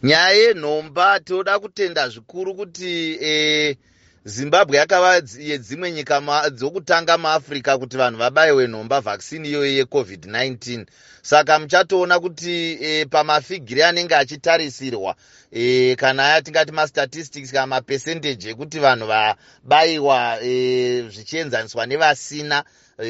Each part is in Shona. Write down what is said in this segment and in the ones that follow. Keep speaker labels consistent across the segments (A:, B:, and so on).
A: Nyaya yenhomba, tinoda kutenda zvikuru kuti Zimbabwe yakava yedzimwe nyika dzokutanga muAfrica kuti vanhu vabayiwe nhomba, vaccine iyoyo yeCOVID-19. Saka muchatoona kuti pamafigiri anenge achitarisirwa, kana aya tingati mastatistics kana mapercentage ekuti vanhu vabayiwa zvichienzaniswa nevasina,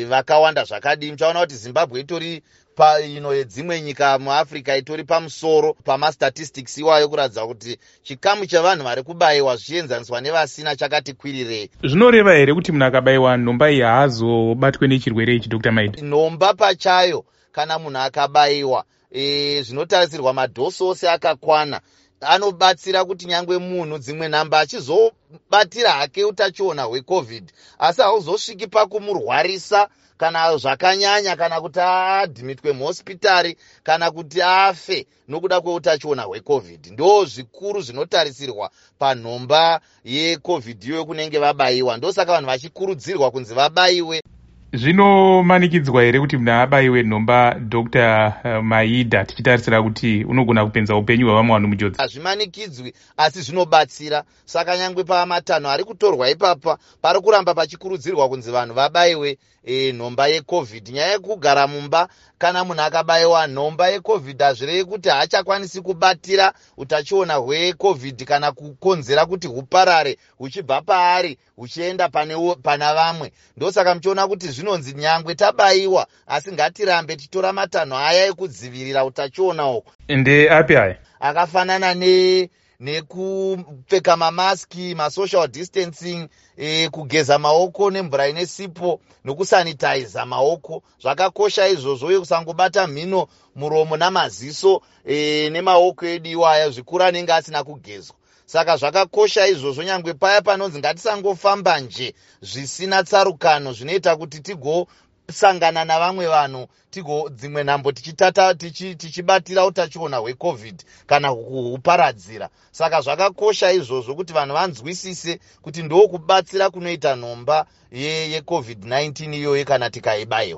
A: vakawanda zvakadii, muchaona kuti Zimbabwe itori paino yedzimwe nyika muAfrica, itori pamusoro pamastatistics iwayo, kuratidza kuti chikamu chevanhu vari kubayiwa zvichienzaniswa nevasina chakati kwirirei.
B: Zvinoreva here kuti munhu akabayiwa nhomba iyi haazobatwe nechirwere ichi, Dr Maida?
A: Nhomba pachayo, kana munhu akabayiwa zvinotarisirwa, madhosi ose akakwana, anobatsira kuti nyangwe munhu dzimwe nhamba achizobatira hake utachiona hweCOVID, asi hauzosviki pakumurwarisa kana zvakanyanya, kana kuti aadhimitwe muhospitari, kana kuti afe nokuda kweutachiona hweCOVID. Ndo zvikuru zvinotarisirwa panhomba yeCOVID iyoyo kunenge vabayiwa. Ndosaka vanhu vachikurudzirwa kunzi vabayiwe.
B: Zvinomanikidzwa here kuti munhu abayiwe nhomba, Dr Maida, tichitarisira kuti unogona kupinza upenyu hwevamwe vanhu mujodzi?
A: Hazvimanikidzwi, asi zvinobatsira. Saka nyangwe pamatanho ari kutorwa ipapa, pari kuramba pachikurudzirwa kunzi vanhu vabayiwe nhomba yeCOVID. Nyaya yekugara mumba, kana munhu akabayiwa nhomba yeCOVID, hazvirevi kuti haachakwanisi kubatira utachiona hweCOVID kana kukonzera kuti huparare huchibva paari huchienda pana vamwe. Ndosaka muchiona kuti zvinonzi nyangwe tabayiwa, asi ngatirambe tichitora matanho aya ekudzivirira utachiona uku.
B: Ndeapi aya?
A: Akafanana ne nekupfeka mamaski, masocial distancing, kugeza maoko nemvura ine sipo nokusanitaiza maoko. Zvakakosha izvozvo, uye kusangobata mhino, muromo namaziso nemaoko edu iwaya, zvikuru anenge asina kugezwa. Saka zvakakosha izvozvo. Nyangwe paya panonzi ngatisangofamba nje zvisina tsarukano, zvinoita kuti tigosangana navamwe vanhu, tigo dzimwe nhambo tichitata tichibatira utachiona hweCOVID kana kuhuparadzira. Saka zvakakosha izvozvo kuti vanhu vanzwisise kuti ndokubatsira kunoita nhomba yeCOVID-19 iyoyo kana tikaibayiwa.